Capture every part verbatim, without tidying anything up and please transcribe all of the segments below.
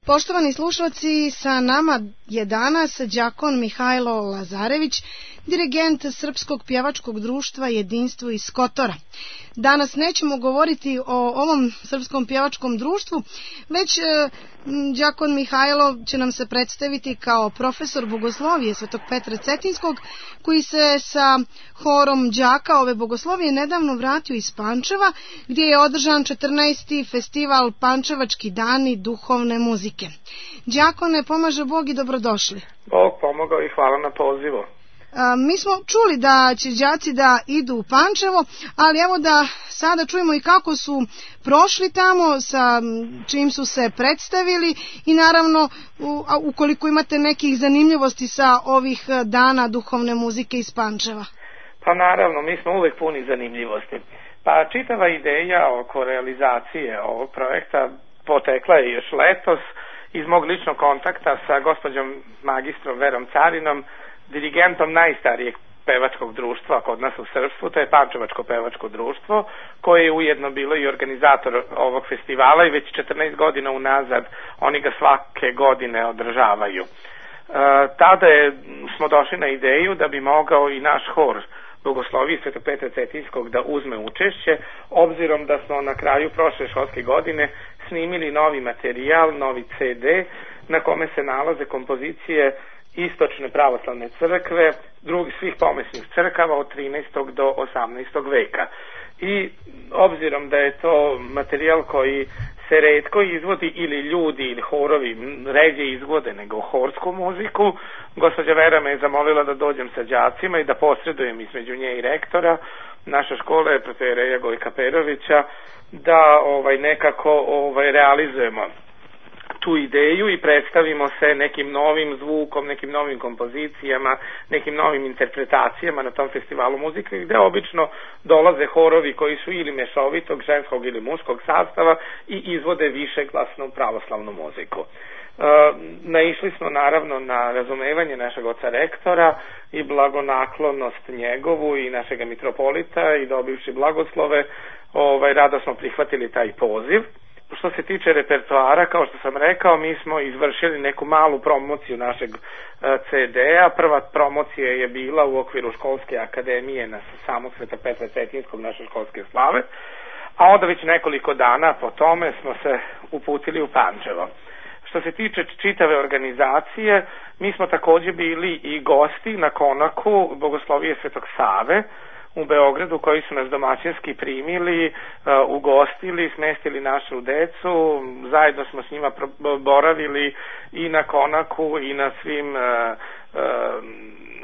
Poštovani slušalci, sa nama je danas đakon Mihajlo Lazarević, dirigent Srpskog pjevačkog društva Jedinstvo iz Kotora. Danas nećemo govoriti o ovom Srpskom pjevačkom društvu, već e, đakon Mihajlo će nam se predstaviti kao profesor bogoslovije Svetog Petra Cetinskog, koji se sa horom đaka ove bogoslovije nedavno vratio iz Pančeva, gdje je održan četrnaesti festival Pančevački dani duhovne muzike. Đakone, pomaže Bog i dobrodošli. Bog pomogao i hvala na pozivu. Mi smo čuli da će đaci da idu u Pančevo, ali evo da sada čujemo i kako su prošli tamo, sa čim su se predstavili i naravno ukoliko imate nekih zanimljivosti sa ovih dana duhovne muzike iz Pančeva. Pa naravno, mi smo uvek puni zanimljivosti. Pa čitava ideja oko realizacije ovog projekta potekla je još letos iz mog ličnog kontakta sa gospođom magistrom Verom Carinom, dirigentom najstarijeg pevačkog društva kod nas u srpstvu, to je Pančevačko pevačko društvo, koje je ujedno bilo i organizator ovog festivala i već četrnaest godina unazad oni ga svake godine održavaju. E, tada je, smo došli na ideju da bi mogao i naš hor Bogoslovije Svetog Petra Cetinskog da uzme učešće, obzirom da smo na kraju prošle školske godine snimili novi materijal, novi ce de, na kome se nalaze kompozicije Istočne pravoslavne crkve, drugih svih pomesnih crkava od trinaestog do osamnaestog veka. I obzirom da je to materijal koji se retko izvodi ili ljudi ili horovi ređe izvode nego horsku muziku, gospođa Vera me je zamolila da dođem sa đacima i da posredujem između nje i rektora naše škole, protoijereja Gojka Perovića, da ovaj nekako ovaj realizujemo tu ideju i predstavimo se nekim novim zvukom, nekim novim kompozicijama, nekim novim interpretacijama na tom festivalu muzike, gde obično dolaze horovi koji su ili mešovitog, ženskog ili muškog sastava i izvode višeglasnu pravoslavnu muziku. E, naišli smo naravno na razumevanje našeg oca rektora i blagonaklonost njegovu i našega mitropolita i dobivši blagoslove, ovaj, rado smo prihvatili taj poziv. Što se tiče repertoara, kao što sam rekao, mi smo izvršili neku malu promociju našeg ce de-a. Prva promocija je bila u okviru školske akademije na samog Svetog Petra Cetinskog, naše školske slave, a onda već nekoliko dana po tome smo se uputili u Pančevo. Što se tiče čitave organizacije, mi smo također bili i gosti na konaku Bogoslovije Svetog Save u Beogradu, koji su nas domaćinski primili, uh, ugostili, smestili našu decu, zajedno smo s njima boravili i na konaku i na svim uh, uh,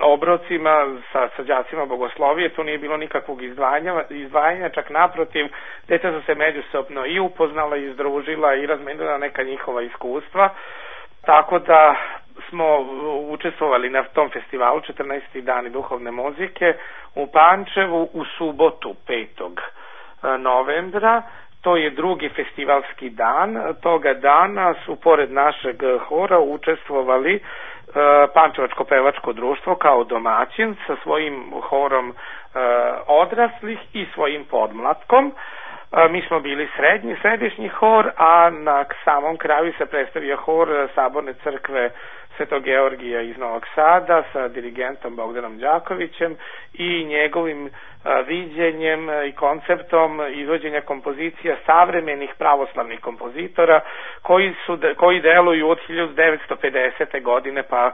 obrocima sa, sa đacima bogoslovije. Tu nije bilo nikakvog izdvajanja, izdvajanja, čak naprotiv, deca su se međusobno i upoznala i združila i razmenila neka njihova iskustva, tako da smo učestvovali na tom festivalu četrnaesti dani duhovne muzike u Pančevu u subotu petog novembra. To je drugi festivalski dan. Toga dana su pored našeg hora učestvovali Pančevačko pevačko društvo kao domaćin sa svojim horom odraslih i svojim podmlatkom. Mi smo bili srednji, središnji hor, a na samom kraju se predstavio hor Saborne crkve Svetog Georgija iz Novog Sada sa dirigentom Bogdanom Đakovićem i njegovim viđenjem i konceptom izvođenja kompozicija savremenih pravoslavnih kompozitora koji, su, koji deluju od hiljadu devetsto pedesete godine pa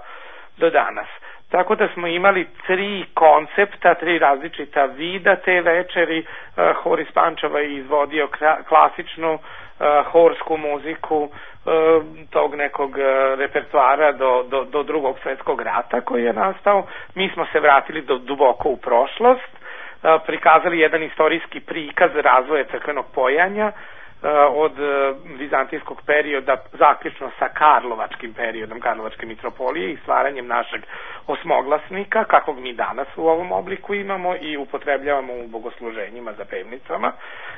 do danas. Tako da smo imali tri koncepta, tri različita vida te večeri. Hor iz Pančeva je izvodio klasičnu horsku muziku tog nekog repertoara do, do, do drugog svjetskog rata koji je nastao. Mi smo se vratili do duboko u prošlost, prikazali jedan istorijski prikaz razvoja crkvenog pojanja od vizantijskog perioda zaključno sa karlovačkim periodom Karlovačke mitropolije i stvaranjem našeg osmoglasnika, kakvog mi danas u ovom obliku imamo i upotrebljavamo u bogosluženjima za pevnicama.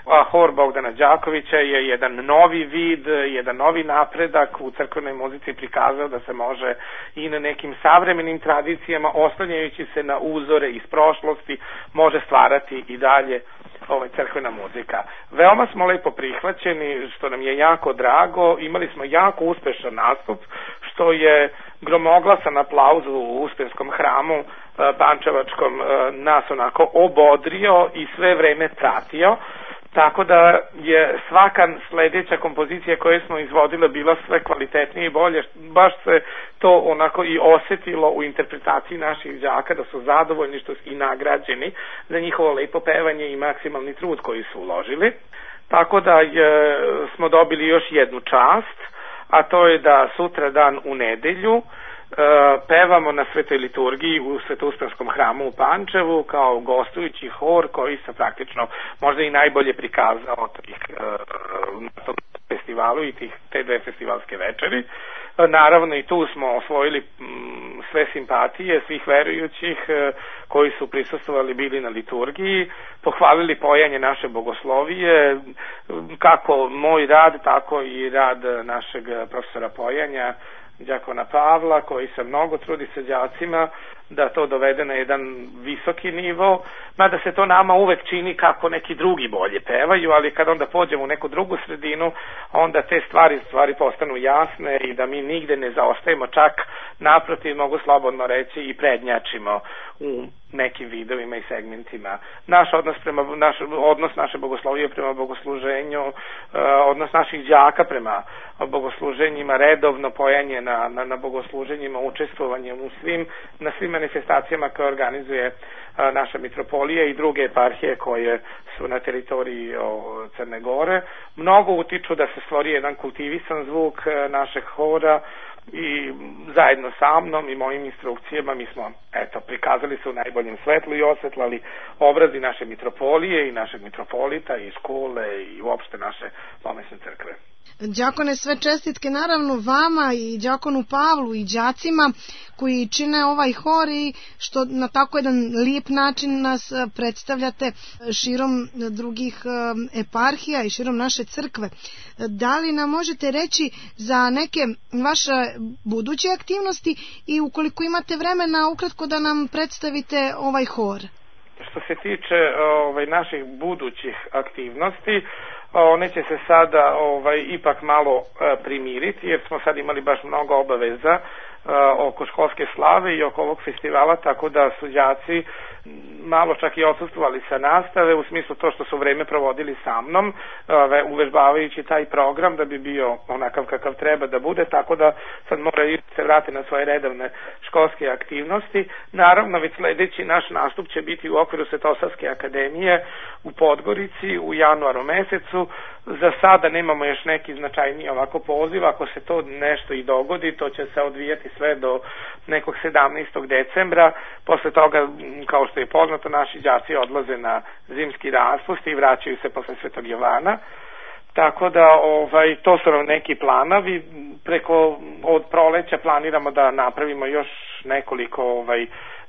A hor Bogdana Đakovića je jedan novi vid, jedan novi napredak u crkvenoj muzici prikazao da se može i na nekim savremenim tradicijama, oslanjajući se na uzore iz prošlosti, može stvarati i dalje ovaj crkvena muzika. Veoma smo lepo prihvatili prihvaćeni, što nam je jako drago. Imali smo jako uspešan nastup, što je gromoglasan aplauz u Uspenskom hramu pančevačkom nas onako obodrio i sve vreme pratio. Tako da je svaka sledeća kompozicija koju smo izvodile bila sve kvalitetnije i bolje. Baš se to onako i osetilo u interpretaciji naših đaka, da su zadovoljni što su i nagrađeni za njihovo lepo pevanje i maksimalni trud koji su uložili. Tako da je, smo dobili još jednu čast, a to je da sutra dan u nedelju pevamo na Svetoj liturgiji u Svetouspenskom hramu u Pančevu kao gostujući hor koji se praktično možda i najbolje prikazao tih, na tom festivalu i tih, te dve festivalske večeri. Naravno i tu smo osvojili sve simpatije svih verujućih koji su prisustvovali bili na liturgiji, pohvalili pojanje naše bogoslovije, kako moj rad, tako i rad našeg profesora pojanja đakona Pavla, koji se mnogo trudi sa đacima da to dovede na jedan visoki nivo, mada se to nama uvek čini kako neki drugi bolje pevaju, ali kad onda pođemo u neku drugu sredinu, onda te stvari stvari postanu jasne i da mi nigde ne zaostajemo, čak naprotiv, mogu slobodno reći, i prednjačimo u nekim vidovima i segmentima. Naš odnos prema naš odnos naše bogoslovije prema bogosluženju, odnos naših đaka prema bogosluženjima, redovno pojanje na na, na bogosluženjima, učestvovanje u svim na svim manifestacijama koje organizuje naša mitropolija i druge eparhije koje su na teritoriji o, Crne Gore. Mnogo utiču da se stvori jedan kultivisan zvuk našeg hora i zajedno sa mnom i mojim instrukcijama mi smo eto prikazali se u najboljem svetlu i osvetlali obrazi naše mitropolije i našeg mitropolita i škole i uopšte naše pomesne crkve. Đakone, sve čestitke naravno vama i đakonu Pavlu i đacima koji čine ovaj hor i što na tako jedan lijep način nas predstavljate širom drugih eparhija i širom naše crkve. Da li nam možete reći za neke vaše buduće aktivnosti i ukoliko imate vremena ukratko da nam predstavite ovaj hor? Što se tiče ovaj, naših budućih aktivnosti, one će se sada ovaj, ipak malo e, primiriti, jer smo sad imali baš mnogo obaveza e, oko školske slave i oko ovog festivala, tako da su đaci malo čak i odsustvovali sa nastave, u smislu to što su vreme provodili sa mnom, e, uvežbavajući taj program da bi bio onakav kakav treba da bude, tako da sad moraju se vratiti na svoje redovne školske aktivnosti. Naravno, već sledeći naš nastup će biti u okviru Svetosavske akademije u Podgorici u januaru mesecu. Za sada nemamo još neki značajniji ovako poziv, ako se to nešto i dogodi, to će se odvijati sve do nekog sedamnaestog decembra, posle toga, kao što je poznato, naši đaci odlaze na zimski raspust i vraćaju se posle Svetog Jovana, tako da ovaj, to su nam neki planovi. Preko od proleća planiramo da napravimo još nekoliko ovaj,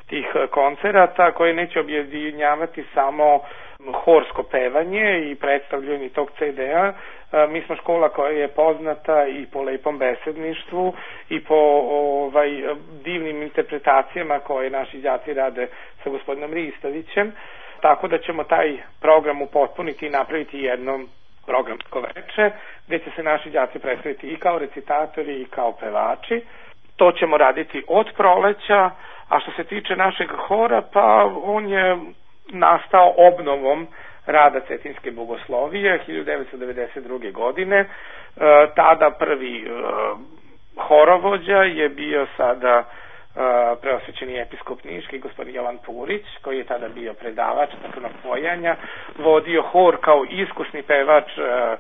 tih koncerata koje neće objedinjavati samo horsko pevanje i predstavljanje tog ce de a. Mi smo škola koja je poznata i po lepom besedništvu i po ovaj, divnim interpretacijama koje naši đaci rade sa gospodinom Ristovićem, tako da ćemo taj program upotpuniti i napraviti jednom programsko veče gde će se naši đaci predstaviti i kao recitatori i kao pevači. To ćemo raditi od proleća, a što se tiče našeg hora, pa on je nastao obnovom rada Cetinjske bogoslovije hiljadu devetsto devedeset druge. godine. E, tada prvi e, horovođa je bio sada e, preosvećeni episkop niški gospodin Jovan Purić, koji je tada bio predavač crkvenog pojanja, vodio hor kao iskusni pevač e, e,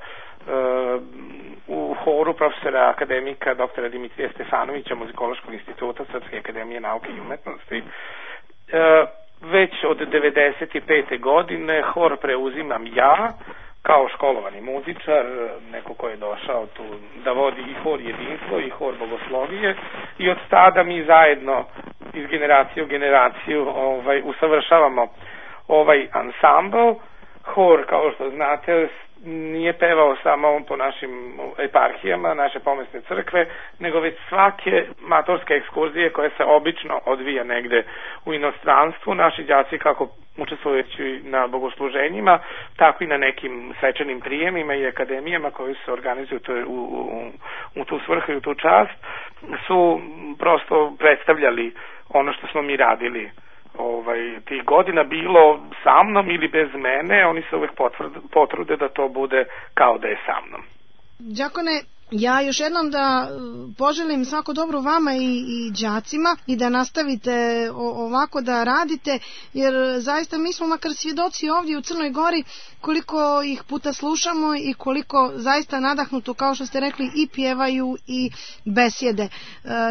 u horu profesora akademika doktora Dimitrija Stefanovića Muzikološkog instituta Srpske akademije nauke i umetnosti. E, Već od devedeset pete. godine hor preuzimam ja kao školovani muzičar, neko ko je došao tu da vodi i hor jedinstvo i hor bogoslovije, i od tada mi zajedno iz generacije u generaciju ovaj, usavršavamo ovaj ansambl. Hor, kao što znate, nije pevao samo po našim eparhijama, naše pomesne crkve, nego već svake matorske ekskurzije koje se obično odvija negde u inostranstvu. Naši đaci kako učestvujući na bogosluženjima, tako i na nekim svečanim prijemima i akademijama koji se organizuju u, u, u tu svrhu i u tu čast, su prosto predstavljali ono što smo mi radili ovaj, tih godina, bilo sa mnom ili bez mene. Oni se uvek potrude da to bude kao da je sa mnom. Đakone, ja još jednom da poželim svako dobro vama i, i đacima i da nastavite o, ovako da radite, jer zaista mi smo makar svjedoci ovdje u Crnoj Gori koliko ih puta slušamo i koliko zaista nadahnuto, kao što ste rekli, i pjevaju i besjede. E,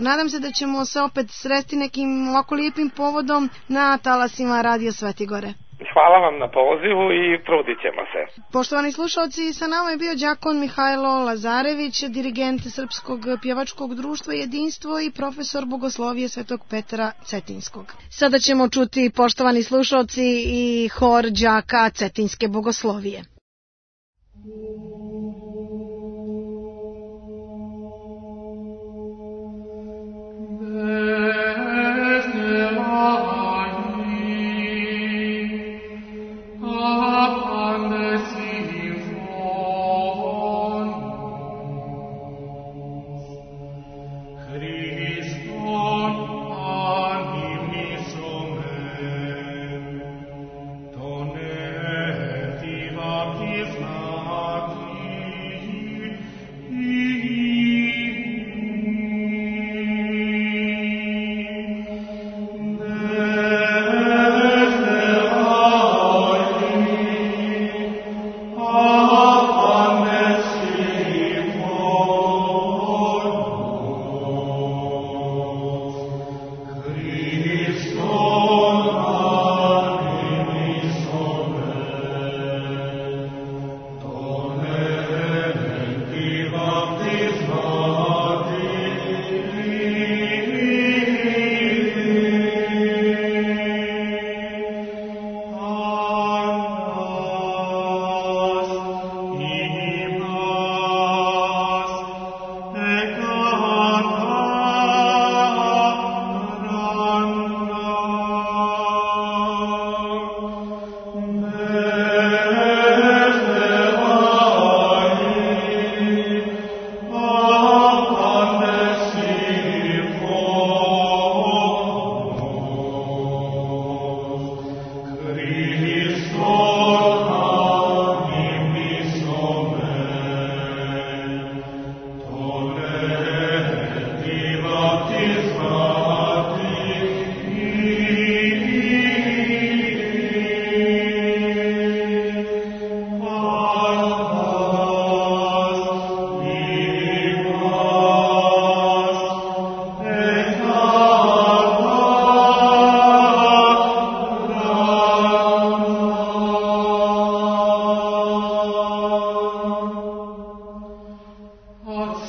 nadam se da ćemo se opet sresti nekim ovako lijepim povodom na talasima Radio Svetigore. Hvala vam na pozivu i trudit ćemo se. Poštovani slušalci, sa nama je bio đakon Mihajlo Lazarević, dirigent Srpskog pjevačkog društva Jedinstvo i profesor bogoslovije Svetog Petra Cetinskog. Sada ćemo čuti, poštovani slušalci, i hor đaka Cetinske bogoslovije.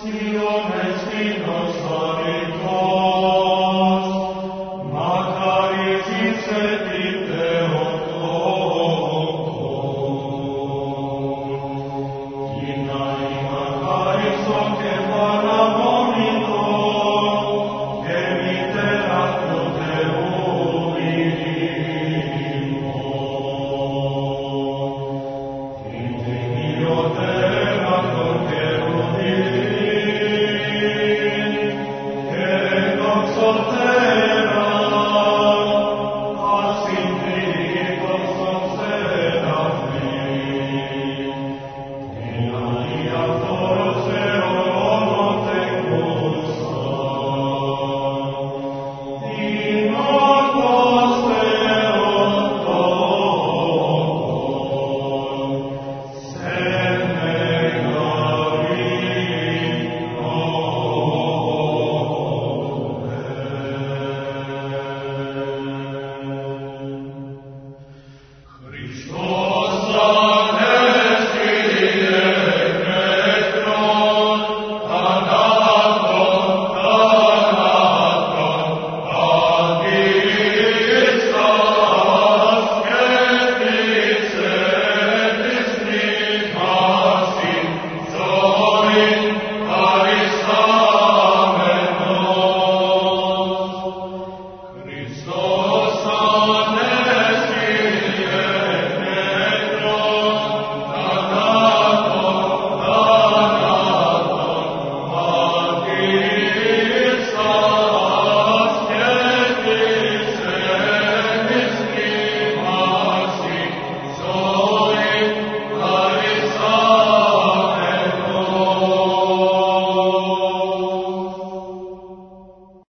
Sione, Sione,